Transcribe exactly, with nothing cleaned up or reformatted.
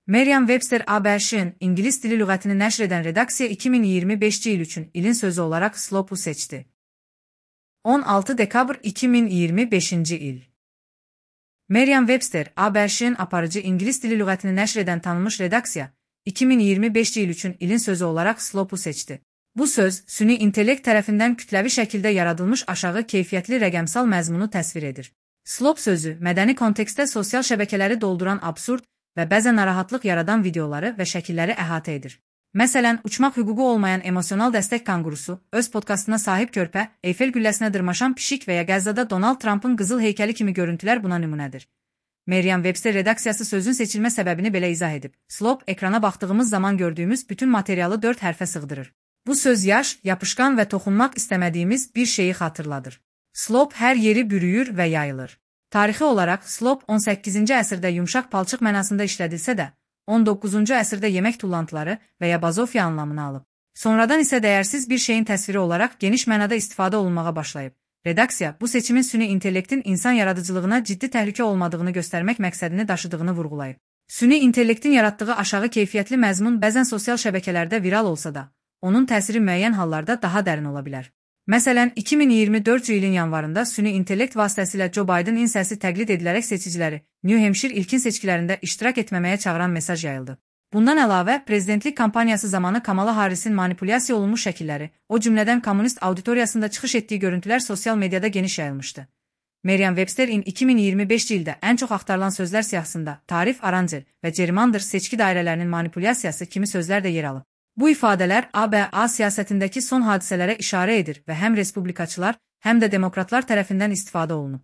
Merriam-Webster A B Ş'ın İngiliz dili lüğətini nəşr edən redaksiya iki min iyirmi beşinci il üçün ilin sözü olarak slope-u seçti. on altı dekabr iki min iyirmi beşinci il. Merriam-Webster A B Ş'ın aparıcı İngiliz dili lüğətini nəşr edən tanınmış redaksiya iki min iyirmi beşinci il üçün ilin sözü olarak slope-u seçti. Bu söz, süni intellekt tərəfindən kütləvi şəkildə yaradılmış aşağı keyfiyyətli rəqəmsal məzmunu təsvir edir. Slope sözü, mədəni kontekstdə sosial şəbəkələri dolduran absurd və bəzən narahatlıq yaradan videoları və şəkilləri əhatə edir. Məsələn, uçmaq hüququ olmayan emosional dəstək kanqurusu, öz podkastına sahib körpə, Eyfel gülləsinə dırmaşan pişik və ya Qəzzada Donald Trumpın qızıl heykəli kimi görüntülər buna nümunədir. Merriam-Webster redaksiyası sözün seçilmə səbəbini belə izah edib. Slope, ekrana baxdığımız zaman gördüyümüz bütün materialı dörd hərfə sığdırır. Bu söz yaş, yapışqan və toxunmaq istəmədiyimiz bir şeyi xatırladır. Slope hər yeri bürüyür və yayılır. Tarixi olaraq, slope on səkkizinci əsrdə yumşaq palçıq mənasında işlədilsə də, on doqquzuncu əsrdə yemək tullantıları və ya bazofya anlamını alıb. Sonradan isə dəyərsiz bir şeyin təsviri olaraq geniş mənada istifadə olunmağa başlayıb. Redaksiya, bu seçimin süni intellektin insan yaradıcılığına ciddi təhlükə olmadığını göstərmək məqsədini daşıdığını vurğulayıb. Süni intellektin yaratdığı aşağı keyfiyyətli məzmun bəzən sosial şəbəkələrdə viral olsa da, onun təsiri müəyyən hallarda daha dərin ola bilər. Məsələn, iki min iyirmi dördüncü ilin yanvarında süni intellekt vasitəsilə Joe Bidenin səsi təqlid edilərək seçiciləri New Hampshire ilkin seçkilərində iştirak etməməyə çağıran mesaj yayıldı. Bundan əlavə, prezidentlik kampaniyası zamanı Kamala Harris'in manipulyasiya olunmuş şəkilləri, o cümlədən kommunist auditoriyasında çıxış etdiyi görüntülər sosial mediada geniş yayılmışdı. Merriam-Webster'in iki min iyirmi beşinci ildə ən çox axtarılan sözlər siyahısında tarif, arancel və gerrymander seçki dairələrinin manipulyasiyası kimi sözlər də yer alıb. Bu ifadələr A B A siyasətindəki son hadisələrə işarə edir və həm respublikaçılar, həm də demokratlar tərəfindən istifadə olunub.